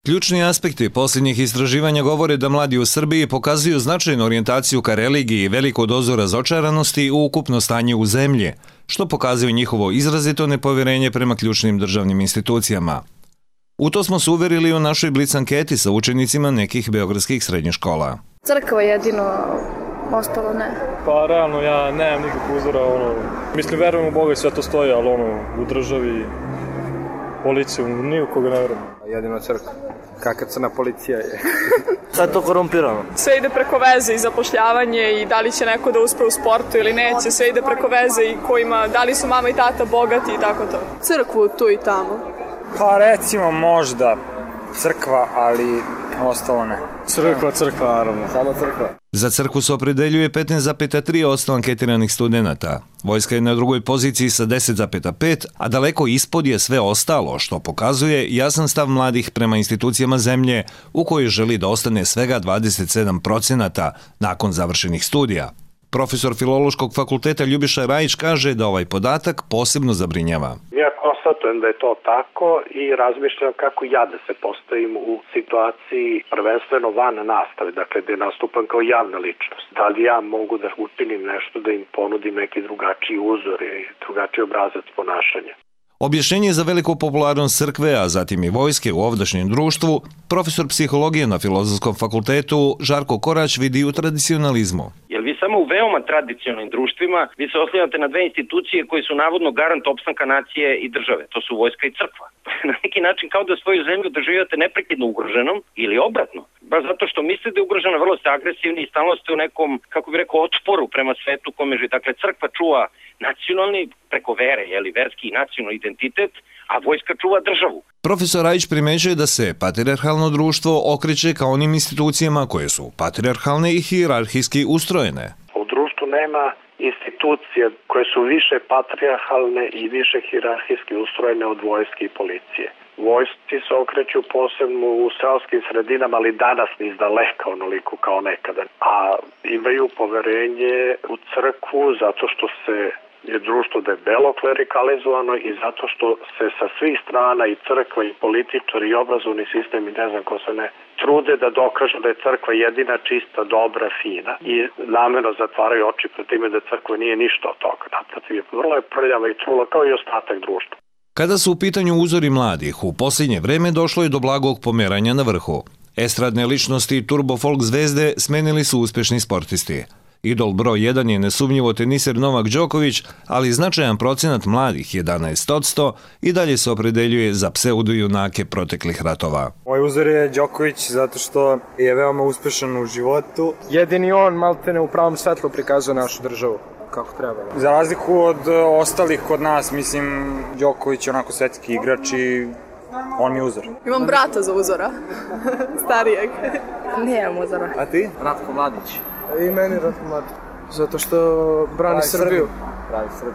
Ključni aspekti posljednjih istraživanja govore da mladi u Srbiji pokazuju značajnu orijentaciju ka religiji i veliku dozu razočaranosti u ukupno stanje u zemlji, što pokazuje njihovo izrazito nepovjerenje prema ključnim državnim institucijama. U to smo se uverili u našoj blic anketi sa učenicima nekih beogradskih srednjih škola. Crkva jedino, ostalo ne. Pa realno ja nemam nikakvog uzora, mislim verujem u Boga i sve to stoji, ali u državi, policiju, ni u koga ne verujem. Jedino crkva. Kakva crna policija je. Sad je to korumpirano. Sve ide preko veze i zapošljavanje i da li će neko da uspe u sportu ili neće, sve ide preko veze i da li su mama i tata bogati i tako to. Crkvu tu i tamo. Pa recimo možda crkva, ali ostalo ne. Crkva, naravno. Samo crkva. Za crkvu se opredeljuje 15,3% anketiranih studenata. Vojska je na drugoj poziciji sa 10,5%, a daleko ispod je sve ostalo, što pokazuje jasan stav mladih prema institucijama zemlje u kojoj želi da ostane svega 27% nakon završenih studija. Profesor Filološkog fakulteta Ljubiša Rajić kaže da ovaj podatak posebno zabrinjava. Ja konstatujem da je to tako i razmišljam kako ja da se postavim u situaciji prvenstveno van nastave, dakle da nastupam kao javna ličnost. Da li ja mogu da učinim nešto, da im ponudim neki drugačiji uzor i drugačiji obrazac ponašanja. Objašnjenje za veliku popularnost crkve, a zatim i vojske u ovdašnjem društvu, profesor psihologije na Filozofskom fakultetu Žarko Korać vidi u tradicionalizmu. Jer vi samo u veoma tradicionalnim društvima vi se oslanjate na dve institucije koje su navodno garant opstanka nacije i države. To su vojska i crkva. Na neki način kao da svoju zemlju doživljavate neprekidno ugroženom ili obratno. Baš zato što mislite da je ugrožena, vrlo ste agresivni i stalno ste u nekom, kako bih rekao, otporu prema svetu kome živi. Dakle, crkva čuva nacionalni, preko vere, verski i nacionalni identitet, a vojska čuva državu. Profesor Rajić primećuje da se patrijarhalno društvo okreće ka onim institucijama koje su patrijarhalne i hijerarhijski ustrojene. U društvu nema institucije koje su više patrijarhalne i više hijerarhijski ustrojene od vojske i policije. Vojsci se okreću posebno u seoskim sredinama, ali danas ni izdaleka onoliko kao nekada. A imaju poverenje u crkvu zato što je društvo debelo klerikalizovano i zato što se sa svih strana i crkva i političari i obrazovni sistem i ne znam ko se ne trude da dokažu da je crkva jedina, čista, dobra, fina i namerno zatvaraju oči pred time da crkva nije ništa od toga. Naprotiv, vrlo je prljava i trula kao i ostatak društva. Kada su u pitanju uzori mladih, u posljednje vreme došlo je do blagog pomeranja na vrhu. Estradne ličnosti i turbo folk zvezde smenili su uspješni sportisti. Idol broj 1 je nesumnjivo teniser Novak Đoković, ali značajan procenat mladih, 11%, i dalje se opredeljuje za pseudojunake proteklih ratova. Moj uzor je Đoković zato što je veoma uspešan u životu. Jedini on maltene u pravom svetlu prikazuje našu državu kako treba. Za razliku od ostalih kod nas, mislim, Đoković je onako svetski igrač i on mi je uzor. Imam brata za uzora, starijeg. Nemam uzora. A ti? Ratko Mladić. I meni Ratko Mladić. Zato što brani Srbiju.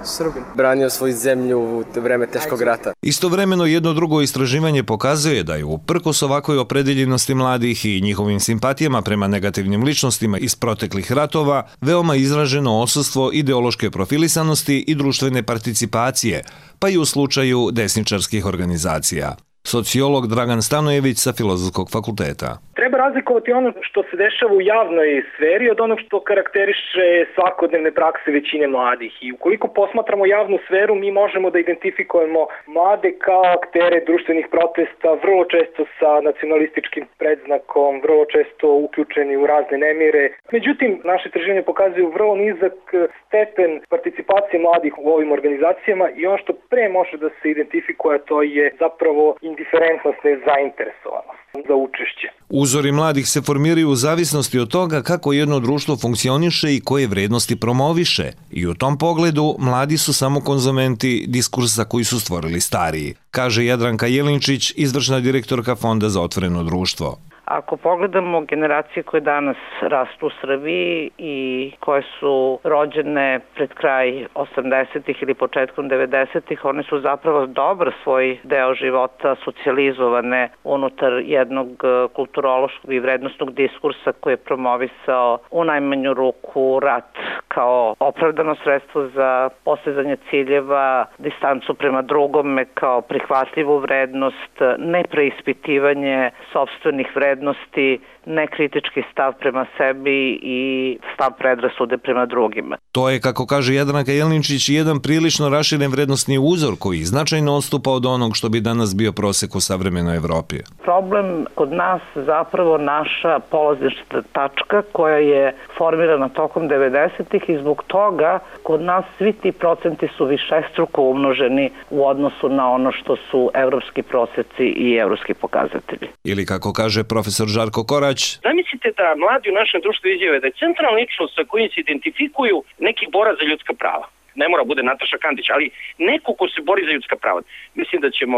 Srbin. Branio svoju zemlju u vreme teškog rata. Istovremeno jedno drugo istraživanje pokazuje da je uprkos ovakvoj opredeljenosti mladih i njihovim simpatijama prema negativnim ličnostima iz proteklih ratova veoma izraženo odsustvo ideološke profilisanosti i društvene participacije, pa i u slučaju desničarskih organizacija. Sociolog Dragan Stanojević sa Filozofskog fakulteta. Treba razlikovati ono što se dešava u javnoj sferi od onog što karakteriše svakodnevne prakse većine mladih. I ukoliko posmatramo javnu sferu, mi možemo da identifikujemo mlade kao aktere društvenih protesta, vrlo često sa nacionalističkim predznakom, vrlo često uključeni u razne nemire. Međutim, naše istraživanje pokazuju vrlo nizak stepen participacije mladih u ovim organizacijama i ono što pre može da se identifikuje, to je zapravo indiferentnost, nezainteresovanost za učešće. Uzori mladih se formiraju u zavisnosti od toga kako jedno društvo funkcioniše i koje vrednosti promoviše. I u tom pogledu mladi su samo konzumenti diskursa koji su stvorili stariji, kaže Jadranka Jelinčić, izvršna direktorka Fonda za otvoreno društvo. Ako pogledamo generacije koje danas rastu u Srbiji i koje su rođene pred kraj 80-ih ili početkom 90-ih, one su zapravo dobar svoj deo života socijalizovane unutar jednog kulturološkog i vrednostnog diskursa koji je promovisao u najmanju ruku rat kao opravdano sredstvo za postizanje ciljeva, distancu prema drugome kao prihvatljivu vrednost, nepreispitivanje sopstvenih vrednosti, nekritički stav prema sebi i stav predrasude prema drugima. To je, kako kaže Jadranka Jelničić, jedan prilično raširen vrednostni uzor koji značajno odstupa od onog što bi danas bio prosek u savremenoj Evropi. Problem kod nas zapravo naša polazišna tačka koja je formirana tokom 90-ih i zbog toga kod nas svi ti procenti su višestruko umnoženi u odnosu na ono što su evropski proseci i evropski pokazatelji. Ili kako kaže profesor Žarko Korać, zamislite da mladi u našem društvu izjave da je centralna ličnost sa kojim se identifikuju neki borac za ljudska prava. Ne mora bude Nataša Kandić, ali neko ko se bori za ljudska prava. Mislim da ćemo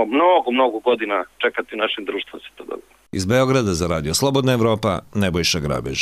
mnogo godina čekati u našem društvu da se to dobije. Iz Beograda za radio Slobodna Evropa, Nebojša Grabež.